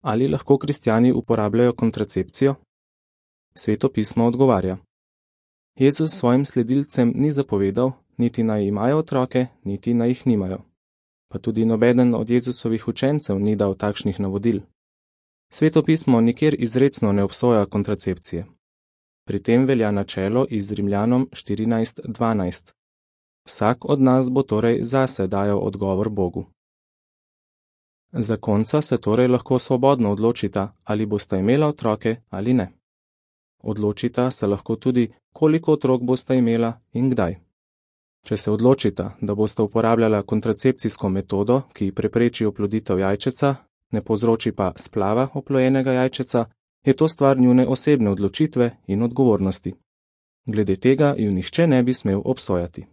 Ali lahko kristjani uporabljajo kontracepcijo? Sveto pismo odgovarja. Jezus svojim sledilcem ni zapovedal, niti naj imajo otroke, niti naj jih nimajo. Pa tudi nobeden od Jezusovih učencev ni dal takšnih navodil. Sveto pismo nikjer izrecno ne obsoja kontracepcije. Pri tem velja načelo iz Rimljanom 14:12. Vsak od nas bo torej zase dajal odgovor Bogu. Zakonca se torej lahko svobodno odločita, ali bosta imela otroke ali ne. Odločita se lahko tudi, koliko otrok bosta imela in kdaj. Če se odločita, da bosta uporabljala kontracepcijsko metodo, ki prepreči oploditev jajčeca, ne povzroči pa splava oplojenega jajčeca, je to stvar njune osebne odločitve in odgovornosti. Glede tega ju nihče ne bi smel obsojati.